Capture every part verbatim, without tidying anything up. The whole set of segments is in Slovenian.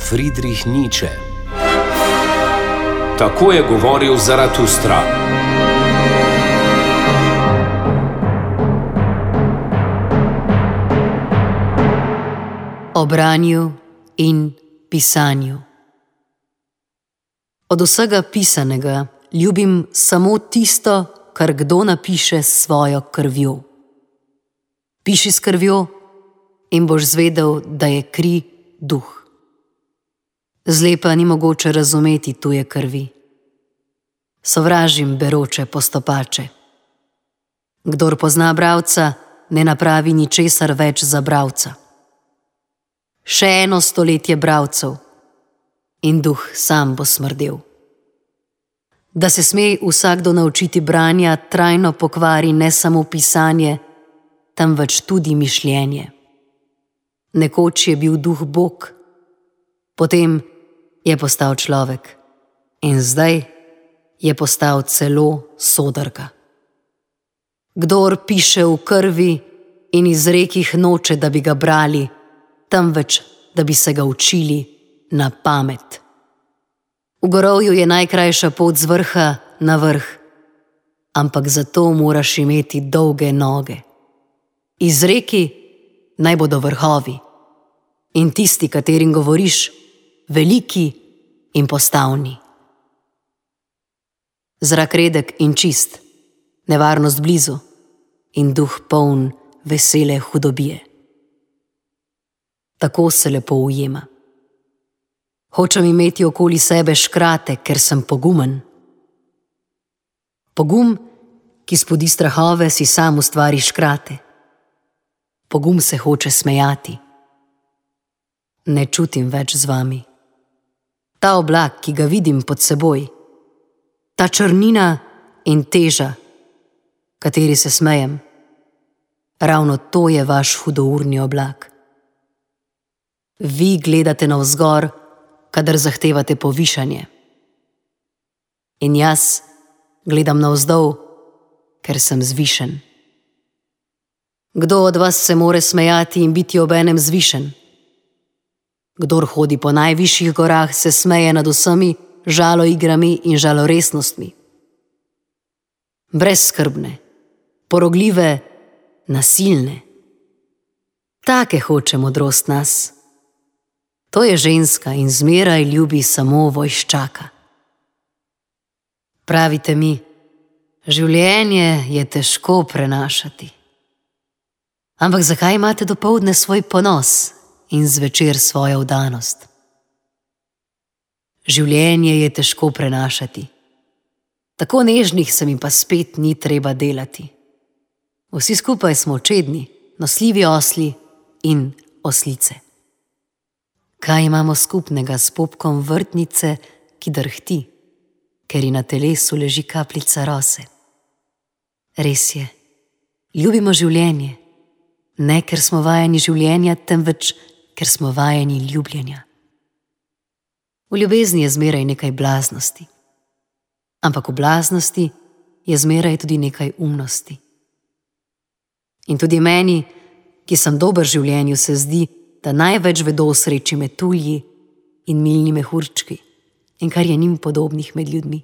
Friedrich Nietzsche. Tako je govoril Zaratustra. O branju in pisanju. Od vsega pisanega ljubim samo tisto, kar kdo napiše s svojo krvjo. Piši s krvjo in boš zvedel, da je kri duh. Zlepa ni mogoče razumeti tuje krvi. Sovražim beroče postopače. Kdor pozna bralca, ne napravi ničesar več za bralca. Še eno stoletje bralcev in duh sam bo smrdel. Da se sme vsakdo naučiti branja, trajno pokvari ne samo pisanje, temveč tudi mišljenje. Nekoč je bil duh Bog, potem je postal človek in zdaj je postal celo sodrga. Kdor piše v krvi in iz rekih noče, da bi ga brali, temveč da bi se ga učili na pamet. V gorovju je najkrajša pot z vrha na vrh, ampak zato moraš imeti dolge noge. Iz reki naj bodo vrhovi in tisti, katerim govoriš, veliki in postavni. Zrak redek in čist, nevarnost blizu in duh poln vesele hudobije. Tako se lepo ujema. Hočem imeti okoli sebe škrate, ker sem pogumen. Pogum, ki spodi strahove, si sam ustvari škrate. Pogum se hoče smejati. Ne čutim več z vami. Ta oblak, ki ga vidim pod seboj, ta črnina in teža, kateri se smejem, ravno to je vaš hudourni oblak. Vi gledate navzgor, kadar zahtevate povišanje. In jaz gledam navzdol, ker sem zvišen. Kdo od vas se more smejati in biti obenem zvišen? Kdor hodi po najvišjih gorah, se smeje nad vsemi žaloigrami in žaloresnostmi. Brezskrbne, porogljive, nasilne. Take hoče modrost nas. To je ženska in zmeraj ljubi samo vojščaka. Pravite mi, življenje je težko prenašati. Ampak zakaj imate dopoldne svoj ponos in zvečer svojo vdanost? Življenje je težko prenašati. Tako nežnih se mi pa spet ni treba delati. Vsi skupaj smo čedni, nosljivi osli in oslice. Kaj imamo skupnega s popkom vrtnice, ki drhti, ker ji na telesu leži kapljica rose? Res je, ljubimo življenje, ne ker smo vajeni življenja, temveč ker smo vajeni ljubljenja. V ljubezni je zmeraj nekaj blaznosti, ampak v blaznosti je zmeraj tudi nekaj umnosti. In tudi meni, ki sem dober v življenju, se zdi, da največ vedo o sreči metulji in milni mehurčki in kar je njim podobnih med ljudmi.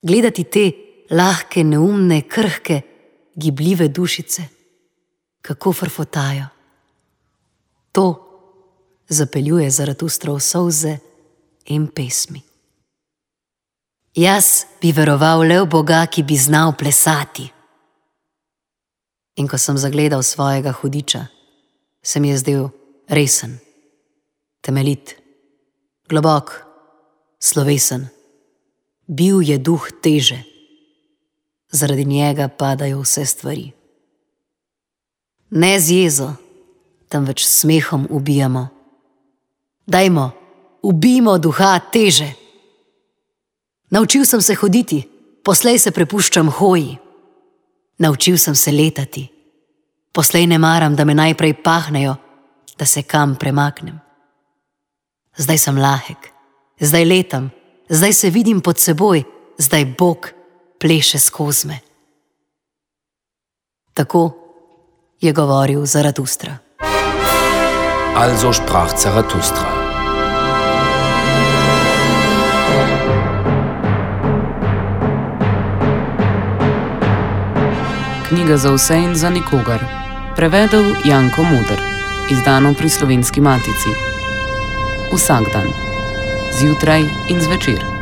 Gledati te lahke, neumne, krhke, gibljive dušice, kako frfotajo. To zapeljuje Zaratustrov solze in pesmi. Jaz bi veroval le v Boga, ki bi znal plesati. In ko sem zagledal svojega hudiča, se mi je zdel resen, temeljit, globok, slovesen. Bil je duh teže. Zaradi njega padajo vse stvari. Ne z jezo, temveč s smehom ubijamo. Dajmo, ubijmo duha teže. Naučil sem se hoditi, poslej se prepuščam hoji. Naučil sem se letati. Poslej ne maram, da me najprej pahnejo, da se kam premaknem. Zdaj sem lahek, zdaj letam, zdaj se vidim pod seboj, zdaj Bog pleše skozi me. Tako je govoril Zaratustra. Also sprach Zarathustra. Knjiga za vse in za nikogar. Prevedel Janko Muder. Izdano pri Slovenski matici. Vsak dan. Zjutraj in zvečer.